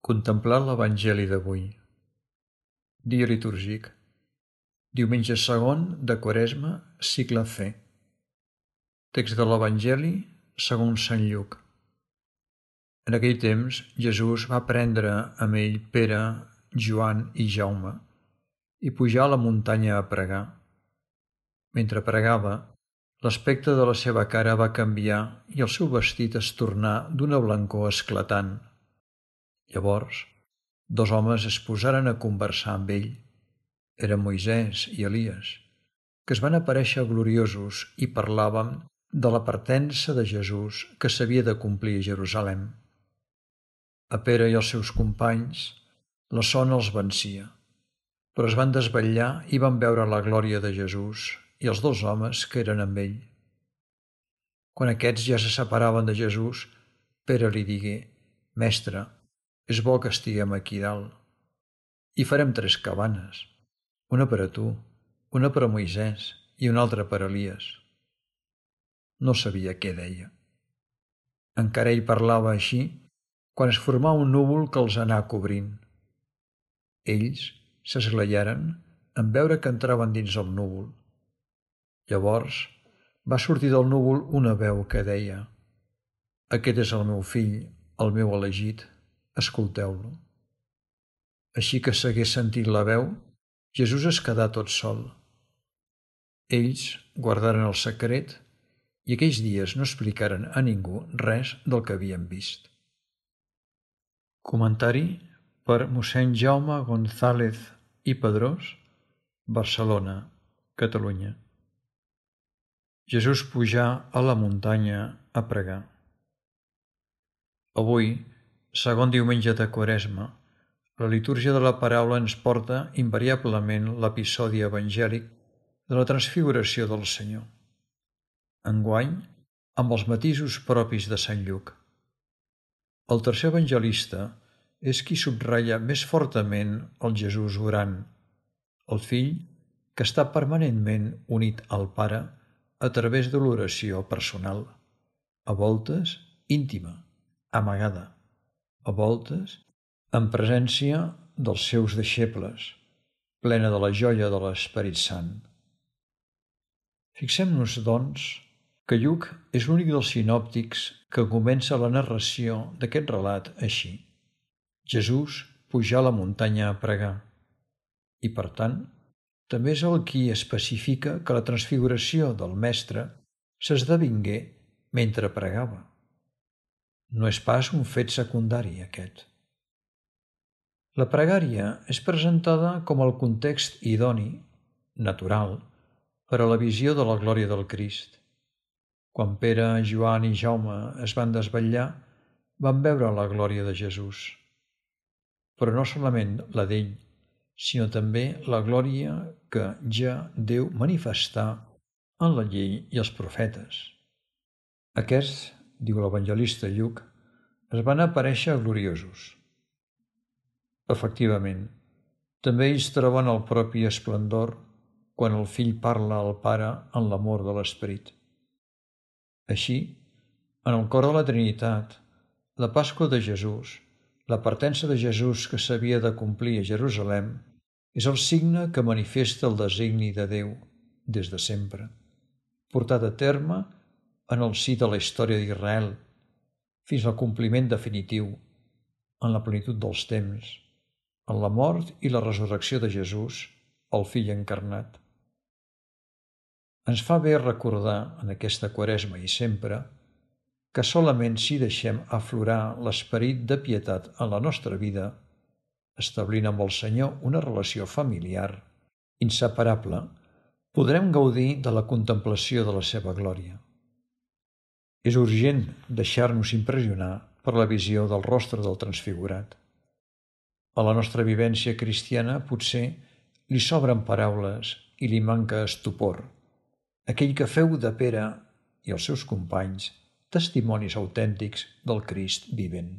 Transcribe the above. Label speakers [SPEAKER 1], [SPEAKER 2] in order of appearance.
[SPEAKER 1] Contemplar l'Evangeli d'avui. Dia litúrgic. Diumenge segon de Quaresma, cicle C. Text de l'Evangeli segons Sant Lluc. En aquell temps, Jesús va prendre amb ell Pere, Joan i Jaume i pujar a la muntanya a pregar. Mentre pregava, l'aspecte de la seva cara va canviar i el seu vestit es tornà d'una blancor esclatant. Llavors, dos homes es posaren a conversar amb ell. Eren Moisès i Elies, que es van aparèixer gloriosos i parlaven de la partença de Jesús que s'havia de complir a Jerusalem. A Pere i els seus companys la son els vencia, però es van desvetllar i van veure la glòria de Jesús i els dos homes que eren amb ell. Quan aquests ja se separaven de Jesús, Pere li digué: «Mestre, és bo que estiguem aquí dalt. Hi farem 3 cabanes, una per a tu, una per a Moisès i una altra per a Elies». No sabia què deia. Encara ell parlava així quan es formà un núvol que els anà cobrint. Ells s'esglaiaren en veure que entraven dins el núvol. Llavors va sortir del núvol una veu que deia: «Aquest és el meu fill, el meu elegit, escolteu-lo». Així que s'hagués sentit la veu, Jesús es quedà tot sol. Ells guardaren el secret i aquells dies no explicaren a ningú res del que havien vist. Comentari per mossèn Jaume González i Pedrós, Barcelona, Catalunya. Jesús pujà a la muntanya a pregar. Avui, segon diumenge de Quaresma, la litúrgia de la paraula ens porta invariablement l'episodi evangèlic de la transfiguració del Senyor. Enguany, amb els matisos propis de Sant Lluc. El tercer evangelista és qui subratlla més fortament el Jesús orant, el fill que està permanentment unit al Pare a través de l'oració personal, a voltes íntima, amagada, a voltes en presència dels seus deixebles, plena de la joia de l'Esperit Sant. Fixem-nos, doncs, que Lluc és l'únic dels sinòptics que comença la narració d'aquest relat així: Jesús pujà a la muntanya a pregar. I, per tant, també és el qui especifica que la transfiguració del Mestre s'esdevingué mentre pregava. No és pas un fet secundari, aquest. La pregària és presentada com el context idoni, natural, per a la visió de la glòria del Crist. Quan Pere, Joan i Jaume es van desvetllar, van veure la glòria de Jesús. Però no solament la d'ell, sinó també la glòria que ja Déu manifestà en la llei i els profetes. Aquests, diu l'evangelista Lluc, es van aparèixer gloriosos. Efectivament, també ells troben el propi esplendor quan el fill parla al Pare en l'amor de l'Esperit. Així, en el cor de la Trinitat, la Pasqua de Jesús, la partença de Jesús que s'havia de complir a Jerusalem, és el signe que manifesta el designi de Déu, des de sempre, portat a terme en el si de la història d'Israel, fins al compliment definitiu, en la plenitud dels temps, en la mort i la resurrecció de Jesús, el Fill encarnat. Ens fa bé recordar, en aquesta Quaresma i sempre, que solament si deixem aflorar l'esperit de pietat en la nostra vida, establint amb el Senyor una relació familiar inseparable, podrem gaudir de la contemplació de la seva glòria. És urgent deixar-nos impressionar per la visió del rostre del transfigurat. A la nostra vivència cristiana potser li sobren paraules i li manca estupor, aquell que feu de Pere i els seus companys testimonis autèntics del Crist vivent.